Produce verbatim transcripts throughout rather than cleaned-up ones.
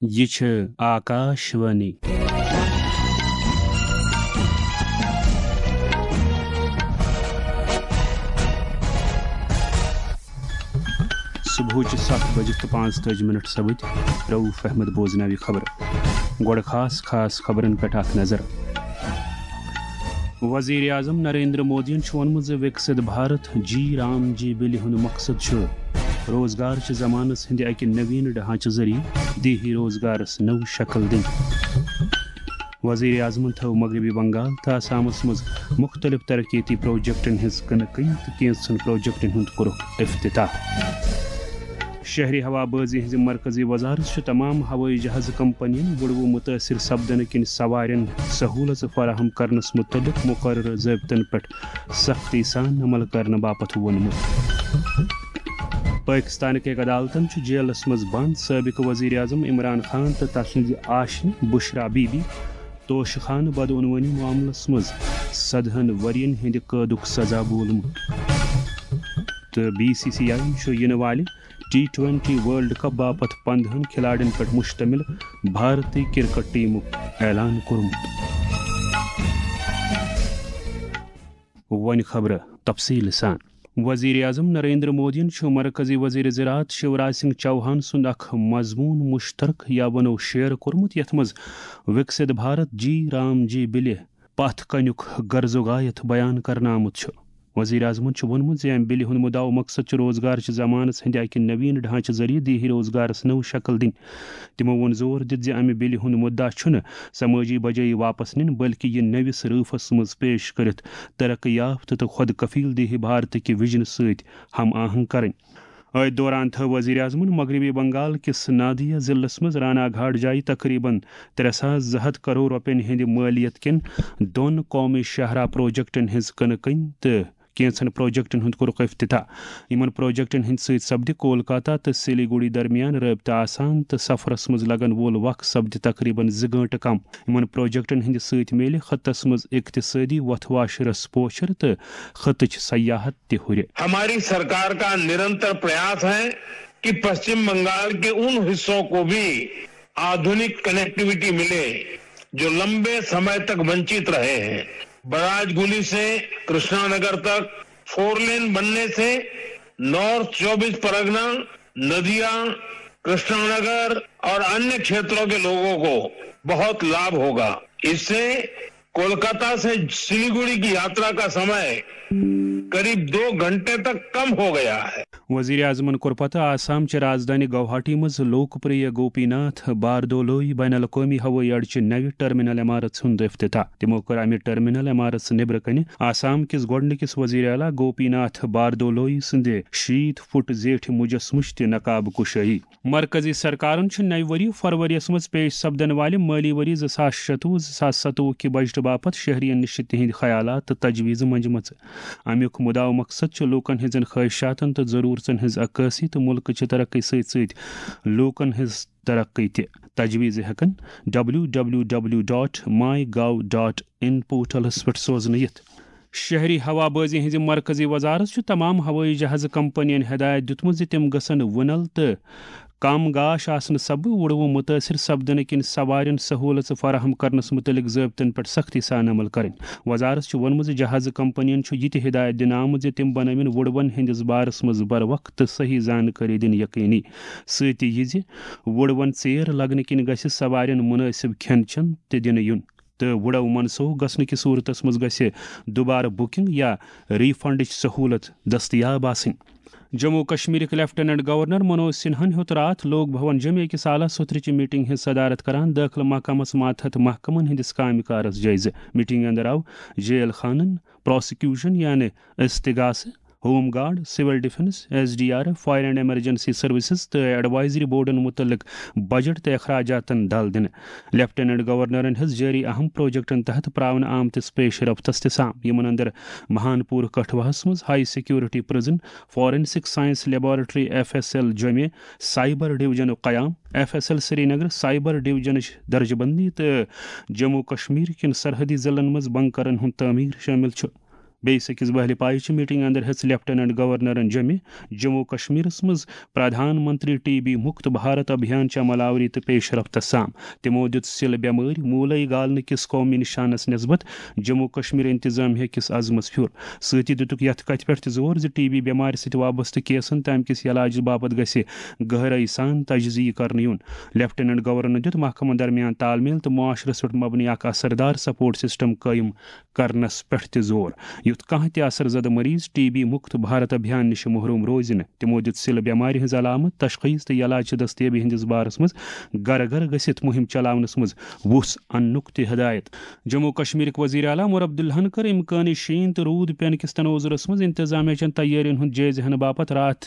یہِ چھِ آکاش وانی۔ صبحٕچہِ ستھ بجہِ تہٕ پانٛژتٲجی منٹ سپٕدۍ۔ رؤف احمد بوزناوِ خبرٕ۔ گۄڈٕ خاص خاص خبرن پٮ۪ٹھ اکھ نظر۔ وزیر اعظم نریندر مودیَن چھُ ووٚنمُت زِ وِکسِت بھارت جی رام جی بِلہِ ہُنٛد مقصد چھُ روزگار چہِ ضمانت ہٕنٛدِ اَکہِ نویٖن ڈھانچہٕ ذٔریعہٕ دیہی روزگارس نٔو شکل دِنۍ۔ وزیر اعظمن تھٲو مغربی بنگال تہٕ آسامس منٛز مُختٔلِف ترقیتی پروجیکٹن ہٕنٛز کٕنہٕ کٔنۍ تہٕ کینٛژن پروجیکٹن ہُنٛد کوٚرُکھ افتتاح۔ شہری ہوا بازی ہٕنٛزِ مرکزی وزارت چھُ تمام ہوٲیی جہاز کمپنین وُڑوٕ مُتٲثر سپدنہٕ کِنۍ سوارٮ۪ن سہوٗلژٕ فراہم کرنس مُتعلق مُقررٕ ضٲبطن پٮ۪ٹھ سختی سان عمل کرنہٕ باپتھ ووٚنمُت۔ پٲکِستانٕکۍ عدالتن چھُ جیلس منٛز بند سٲبِق وزیر اعظم عمران خان تہٕ تسٕنزِ آشنہِ بشرا بی بی توشہٕ خانہٕ بدعنوٲنی معاملس منٛز سدہن ؤرین ہٕنٛدِ قٲدُک سزا بولمُت۔ تہٕ بی سی سی آئی چھُ یِنہٕ والہِ ٹی ٹوینٹی ورلڈ کپ باپتھ پندہن کھلاڑٮ۪ن پٮ۪ٹھ مشتمل بھارتی کرکٹ ٹیمُک اعلان کوٚرمُت۔ وۄنۍ خبرٕ تفصیٖل سان۔ وزیر اعظم نریندر مودیَن چھُ مرکزی وزیر زراعت شیوراج سنگھ چوہان سُنٛد اکھ مضمون مشترکہ یا ونو شیئر کوٚرمُت، یتھ منٛز وِکسِت بھارت جی رام جی بِلہِ پتھ کنیُک غرض و غایت بیان کرنہٕ آمُت چھُ۔ وزیر اعظمَن چھُ ووٚنمُت زِ امہِ بِلہِ ہُنٛد مُدعا و مقصد چھُ روزگار چہِ ضمانت ہٕنٛدِ اکہِ نویٖن ڈھانچہٕ ذٔریعہٕ دیہی روزگارس نٔو شکل دِنۍ۔ تِمو ووٚن زور دِتھ زِ امہِ بِلہِ ہُنٛد مُدعا چھُنہٕ سمٲجی بجٲیی واپس نِنۍ، بلکہِ یہِ نٔوِس رٲفس منٛز پیش کٔرِتھ ترقی یافتہٕ تہٕ خۄد کفیل دیہی بھارتٕکہِ وژنہٕ سۭتۍ ہم آہنگ کرٕنۍ۔ أتھۍ دوران تھٲو وزیر اعظمَن مغربی بنگال کِس نادیا ضلعس منٛز رانا گھاٹ جایہِ تقریباً ترٛےٚ ساس زٕ ہتھ کرور رۄپین ہٕنٛدِ مٲلیت کٮ۪ن دۄن قومی شاہراہ پروجیکٹن ہٕنٛز کٕنہٕ کٔنۍ تہٕ کینٛژن پروجیکٹن ہُنٛد کوٚرُکھ افتتاح۔ یِمن پروجیکٹن ہٕنٛدۍ سۭتۍ سپدِ کولکاتہ تہٕ سلیگوڑی درمیان رٲبطہٕ آسان تہٕ سفرس منٛز لگن وول وق سپدِ تقریباً زٕ گٲنٹہٕ کم۔ یِمن پروجیکٹن ہٕنٛدِ سۭتۍ میلہِ خطس منٛز اقتصٲدی وۄتھٕ واشرس پوچھر تہٕ خطٕچ سیاحت تہِ ہُرِ۔ ہماری سرکار کا نرنتر پریاس ہے کہ پشچم بنگال کے ان حصوں کو بھی آدھنک کنیکٹیویٹی ملے، جو لمبے سمے تک ونچت رہے ہیں۔ براج گلی سے کرشنا نگر تک فور لین بننے سے نارتھ چوبیس پرگنا، ندیا، کرشنا نگر اور انیہ کھیتروں کے لوگوں کو بہت لابھ ہوگا۔ اس سے کولکاتہ سے سلیگوڑی کی یاترا کا سمے قریب دو گھنٹے تک کم ہو گیا ہے۔ وزیر اعظمن کوٚر پتہٕ آسام چہِ رازدٲنی گوہاٹی منٛز لوک پریہ گوپی ناتھ باردولوی بین الاقوٲمی ہوٲیی اڈٕ چہِ نوِ ٹرمینل عمارژ ہُنٛد افتتاح۔ تِمو کٔر امہِ ٹرمینل عمارژ نیبرٕ کنہِ آسام کِس گۄڈٕنِکِس وزیر اعلیٰ گوپی ناتھ باردولوی سٕنٛدِ شیٖتھ فُٹ زیٹھِ مجسمٕچ تہِ نقاب کشٲیی۔ مرکزی سرکارن چھُ نَوِ ؤری فروریَس منٛز پیش سپدن والہِ مٲلی ؤری زٕ ساس شتوُہ زٕ ساس ستوُہ کہِ بجٹہٕ باپتھ شہرین نِش تِہنٛدۍ خیالات تہٕ تجویٖزٕ منجمژٕ۔ امیُک مُدعا و مقصد چھُ لوٗکن ہٕنٛزن خٲہِشاتن تہٕ ضروٗرژن ہٕنٛز عکٲسی تہٕ مُلکہٕ چہِ ترقی سۭتۍ سۭتۍ لوٗکن ہٕنٛز ترقی تہِ۔ تجویٖزٕ ہٮ۪کن ڈبلیو ڈبلیو ڈبلیو ڈاٹ ماے گاو ڈاٹ ان پورٹلس پٮ۪ٹھ سوزنہٕ یِتھ۔ شہری ہوا بازی ہٕنٛزِ مرکزی وزارت چھُ تمام ہوٲیی جہازٕ کمپنین ہدایت دِیُتمُت زِ تِم گژھن وُنل تہٕ کم گاش آسنہٕ سببہٕ وُڑوُن مُتٲثِر سپدنہٕ کِنۍ سوارٮ۪ن سہوٗلژٕ فراہم کرنس مُتعلق ضٲبطن پٮ۪ٹھ سختی سان عمل کرٕنۍ۔ وزارت چھُ ووٚنمُت زِ جہازٕ کمپنین چھُ یہِ تہِ ہدایت دِنہٕ آمُت زِ تِم بنٲوِن وُڑوُن ہٕنٛدِس بارس منٛز بروقت تہٕ صحیح زانکٲری دِنۍ یقینی، سۭتی یہِ زِ وُڑوُن ژیر لگنہٕ کِنۍ گژھِ سوارٮ۪ن مُنٲسِب کھٮ۪ن چٮ۪ن تہِ دِنہٕ یُن۔ تہٕ وُڑو منسوخ گژھنہٕ کہِ صورتس منٛز گژھِ دوبارٕ بُکنگ یا ری فنڈٕچ سہوٗلت دٔستیاب آسٕنۍ۔ جموں و کشمیرٕکۍ لیفٹیننٹ گورنر منوج سنہاہن ہیوٚت راتھ لوک بھون جمعہ کِس اعلیٰ سوترٕچہِ میٹنگ ہٕنٛز صدارت کران دٲخلہٕ محکمس ماتحت محکمن ہٕنٛدِس کامہِ کارس جٲیزٕ۔ میٹنگ اندر آو جیل خانن، پراسیکیوشن یعنی استغاثہٕ، home guard, civil defence, S D R F, fire and emergency services تہٕ ایڈوائزری بورڈن متعلق بجٹ تہٕ اخراجاتن ڈل دِنہٕ۔ لیفٹیننٹ گورنرن ہیٚژ جٲری اہم پروجیکٹن تحت پراونہٕ آمتِس پیش رفتس تہِ سام، یِمن اندر مہان پور کٹھوہس منٛز high security prison, forensic science laboratory F S L جوٚمہِ، سائبر ڈویژنُک قیام، F S L Srinagar cyber ڈویژنٕچ درجہٕ بندی تہٕ جموں و کشمیر کٮ۪ن سرحدی ضلعن منٛز بنکرن ہُنٛد تعمیٖر شٲمِل چھُ۔ بیٚیِس أکِس بہلہِ پایہِ چہِ میٖٹِنٛگ اندر ہیٚژ لیفٹیننٹ گورنرن جمہِ جموں کشمیرس منٛز پردھان منتری ٹی بی مُکت بھارت ابھیان چہِ عمل آوری تہٕ پیش رفتس سام۔ تِمو دِیُت سِل بٮ۪مٲرۍ موٗلے گالنہٕ کِس قومی نِشانس نسبت جموں کشمیر انتظامیہ کِس عزمس پھیُر۔ سۭتی دِتُکھ یتھ کتھِ پٮ۪ٹھ تہِ زور زِ ٹی بی بٮ۪مارِ سۭتۍ وابستہٕ کیسن تہٕ امہِ کِس علاجس باپتھ گژھِ گہرٲیی سان تجزیہ کرنہٕ یُن۔ لیفٹیننٹ گورنرن دِیُت محکمن درمیان تال میل تہٕ معاشرس پٮ۪ٹھ مبنی اکھ اثردار سپورٹ سسٹم قٲیِم کرنس پٮ۪ٹھ تہِ زور، یُتھ کانٛہہ تہِ اثر زدٕ مریض ٹی بی مُکت بھارت ابھیان نِش محروم روزِ نہٕ۔ تِمو دِیُت سِل بٮ۪مارِ ہٕنٛز علامت، تشخیص تہٕ علاج چہِ دستیٲبی ہٕنٛدِس بارس منٛز گرٕ گرٕ گٔژھِتھ مُہِم چلاونس منٛز وُژھ اننُک تہِ ہدایت۔ جموں کشمیرٕکۍ وزیر اعلیٰ عمر عبداللہن کٔر امکانی شیٖن تہٕ روٗد پینہٕ کِس تناظرس منٛز انتظامیہ چٮ۪ن تیٲرین ہُنٛد جٲیزٕ ہٮ۪نہٕ باپتھ راتھ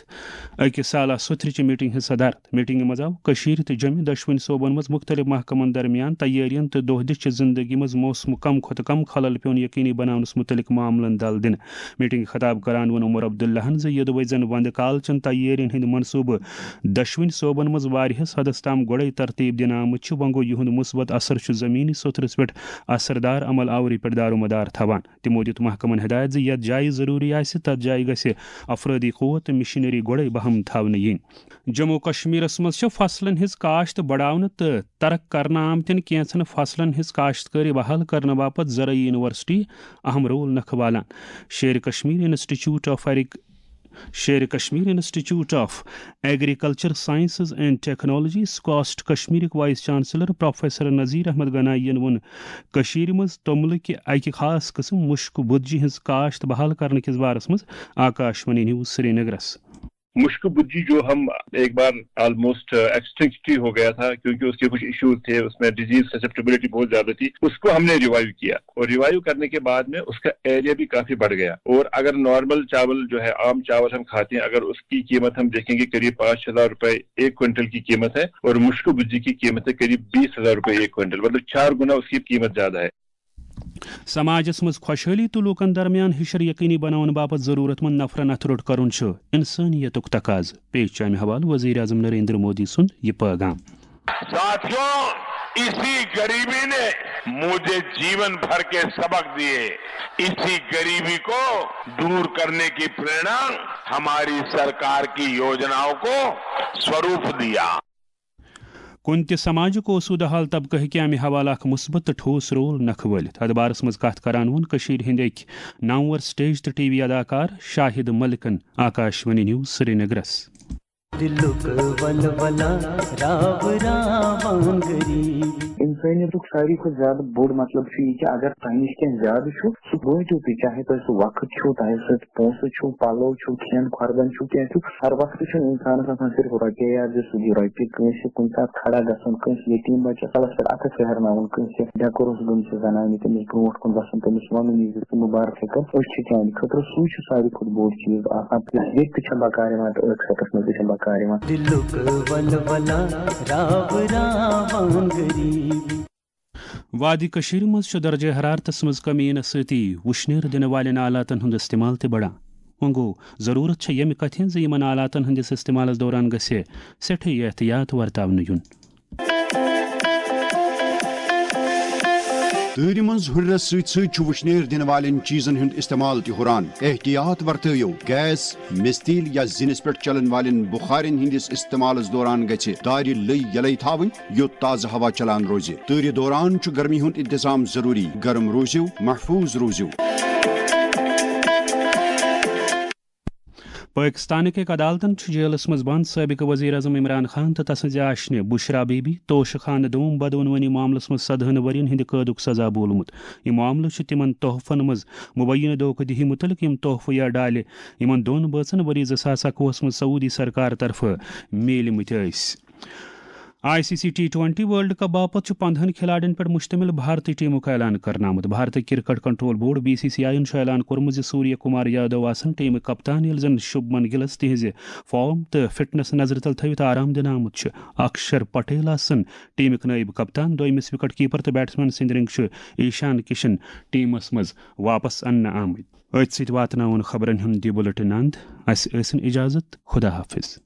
أکِس سالہ سُتھرِ چہِ میٖٹِنٛگ ہٕنٛز صدارت۔ میٖٹِنٛگہِ منٛز آو کٔشیٖرِ تہٕ جوٚمہِ دۄشوٕنی صوبن منٛز مُختٔلِف محکمن درمیان تیٲرین تہٕ دۄہ دِش چہِ زِنٛدگی منٛز موسمہٕ کم کھۄتہٕ کم خلل پیوٚن یقینی بناونس مُتعلق معاملن دل دِنہٕ۔ میٖٹِنٛگہِ خطاب کران ووٚن عمر عبداللہن زِ یوٚدوے زن ونٛدٕ کال چٮ۪ن تیٲرین ہٕنٛدۍ منصوٗبہٕ دۄشوٕنی صوبن منٛز واریاہس حدس تام گۄڈے ترتیٖب دِنہٕ آمٕتۍ چھِ، وۄنۍ گوٚو یِہُنٛد مثبت اثر چھُ زمینی سوٚتھرس پٮ۪ٹھ اثردار عمل آوری پٮ۪ٹھ دارومدار تھاوان۔ تِمو دِیُت محکمن ہدایت زِ یتھ جایہِ ضروٗری آسہِ، تتھ جایہِ گژھِ افرٲدی قوت تہٕ مشینری گۄڈے بہم تھاونہٕ یِنۍ۔ جموں کشمیرس منٛز چھِ فصلن ہٕنٛز کاشت بڑاونہٕ تہٕ ترک کرنہٕ آمتٮ۪ن کینٛژن فصلن ہٕنٛز کاشتکٲری بحال کرنہٕ باپتھ زرعی یونیورسٹی اہم رول نکھٕ والان۔ Sher Kashmir institute of agri-, Sher Kashmir institute of agriculture sciences and technology, SKUAST کشمیرٕکۍ vice chancellor professor Nazir Ahmad Ganai ین ووٚن کٔشیٖرِ منٛز توٚملہٕ کہِ اکہِ خاص قٕسم مُشکہٕ بُدجہِ ہٕنٛز کاشت بحال کرنہٕ کِس بارس منٛز آکاشوانی نیوز سرینگرس۔ مشک بجی جو ہم ایک بار آلموسٹ ایکسٹنکٹ ہی ہو گیا تھا، کیونکہ اس کے کچھ ایشوز تھے، اس میں ڈیزیز سسیپٹیبلٹی بہت زیادہ تھی، اس کو ہم نے ریوائیو کیا اور ریوائیو کرنے کے بعد میں اس کا ایریا بھی کافی بڑھ گیا۔ اور اگر نارمل چاول جو ہے، عام چاول ہم کھاتے ہیں، اگر اس کی قیمت ہم دیکھیں گے، قریب پانچ ہزار روپے ایک کوئنٹل کی قیمت ہے اور مشک بجی کی قیمت ہے قریب بیس ہزار روپے ایک کوئنٹل، مطلب چار گنا اس کی قیمت زیادہ ہے۔ سماجس منٛز خۄشحٲلی تہٕ لوٗکن درمیان ہِشر یقینی بناونہٕ باپتھ ضروٗرت مند نفرن اتھٕ روٚٹ کرُن چھُ انسٲنیتُک تقاضہٕ۔ پیش چھُ امہِ حوالہٕ وزیر اعظم نریندر مودی سُنٛد یہِ پٲغام۔ ساتھیوں، اسی غریبی نے مجھے جیون بھر کے سبق دیے۔ اسی غریبی کو دور کرنے کی प्रेरणा हमारी सरकार की योजनाओं को स्वरूप दिया। کُنہِ تہِ سماجُک اوسوٗدٕ حال طبقہٕ ہیٚکہِ امہِ حوالہٕ اکھ مثبت تہٕ ٹھوس رول نکھٕ وٲلِتھ۔ اتھ بارس منٛز کتھ کران ووٚن کٔشیٖرِ ہٕنٛدۍ أکۍ نامور سٹیج تہٕ ٹی وی اداکار شاہد ملکن آکاشوانی نیوز سرینگرس۔ دِلُک ولولہ راو راوان غریٖب۔ انسٲنیتُک ساروی کھۄتہٕ زیادٕ بوٚڑ مطلب چھُ یہِ کہِ اگر تۄہہِ نِش کینٛہہ زیادٕ چھُ، سُہ بٲنٛٹِو تُہۍ، چاہے تۄہہِ سُہ وقت چھُو، تۄہہِ سۭتۍ پونٛسہٕ چھُو، پَلو چھُو، کھٮ۪ن کھۄردَن چھُو، کینٛہہ چھُو۔ ہر وقتہٕ چھُنہٕ اِنسانَس آسان صرف رۄپیہِ یاد زِ سُہ دِیہِ رۄپیہِ کٲنٛسہِ، کُنہِ ساتہٕ کھڑا گژھُن کٲنٛسہِ یتیٖم بَچَس کَلَس پٮ۪ٹھ اَتھٕ پھیرناوُن، کٲنٛسہِ ڈٮ۪کہٕ روٚس گٔمژِ زنانہِ تٔمِس برونٛٹھ کُن وَسُن، تٔمِس وَنُن یہِ زِ ژٕ مُبارک ہیٚکَن۔ أسۍ چھِ چانہِ خٲطرٕ، سُے چھُ ساروی کھۄتہٕ بوٚڑ چیٖز آسان، ییٚتہِ تہِ چھےٚ بکار یِوان تہٕ ٲخرَتَس منٛز تہِ چھےٚ بکار یِوان۔ دِلُک ولولہ راو راوان غریٖب۔ وادی کٔشیٖرِ منٛز چھُ درجہ حرارتس منٛز کمی یِنہٕ سۭتی وُشنیر دِنہٕ والٮ۪ن آلاتن ہُنٛد استعمال تہِ بڑان۔ وۄنۍ گوٚو، ضروٗرت چھےٚ ییٚمہِ کتھِ ہٕنٛز زِ یِمن آلاتن ہٕنٛدِس استعمالس دوران گژھِ سٮ۪ٹھٕے احتیاط ورتاونہٕ یُن۔ تۭرِ منٛز ہُرٮ۪رس سۭتۍ سۭتۍ چھُ وُشنیر دِنہٕ والٮ۪ن چیٖزن ہُنٛد استعمال تہِ ہُران۔ احتیاط ورتٲیِو، گیس، مِستیٖل یا زِنِس پٮ۪ٹھ چلن والٮ۪ن بُخارٮ۪ن ہٕنٛدِس استعمالس دوران گژھِ دارِ لٔۍ یلے تھاوٕنۍ، یوٚت تازٕ ہوا چلان روزِ۔ تۭرِ دوران چھُ گرمی ہُنٛد انتظام ضروٗری۔ گرم روٗزِو، محفوٗظ روٗزِو۔ پٲکِستانٕکۍ أکۍ عدالتَن چھُ جیلَس منٛز بنٛد سٲبِقہٕ ؤزیٖر اعظم عمران خان تہٕ تسٕنٛزِ آشنہِ بشرا بی بی توشہٕ خانہٕ دوم بدعنوٲنی معاملَس منٛز سدہَن ؤرِین ہٕنٛدِ قٲدُک سزا بولمُت۔ یہِ معاملہٕ چھُ تِمَن تحفن منٛز مُبینہٕ دھوکہٕ دِہی مُتعلِق، یِم تحفہٕ یا ڈالہِ یِمَن دۄن بٲژَن ؤری زٕ ساس اَکوُہَس منٛز سعودی سرکار طرفہٕ میٖلمٕتۍ ٲسۍ۔ I C C T twenty World Cup باپتھ چھُ پندہَن کھلاڑٮ۪ن پٮ۪ٹھ مشتمل بھارتی ٹیمُک اعلان کرنہٕ آمُت۔ بھارتی cricket control board, B C C I, یَن چھُ اعلان کوٚرمُت زِ سوریہ کمار یادو آسن ٹیمٕکۍ کپتان، ییٚلہِ زن شُبمن گِلس تِہنٛزِ فارم تہٕ فٹنس نظرِ تل تھٲوِتھ آرام دِنہٕ آمُت چھُ۔ اکشر پٹیل آسن ٹیمٕکۍ نٲیِب کپتان، دوٚیمِس وکٹ کیپر تہٕ بیٹسمین سٕنٛدۍ رنٛگۍ چھُ ایشان کشن ٹیمس منٛز واپس اننہٕ آمٕتۍ۔ أتھۍ سۭتۍ واتناوُن خبرن ہُنٛد یہِ بُلٹن اند۔ اسہِ ٲسِن اجازت۔ خدا حافظ۔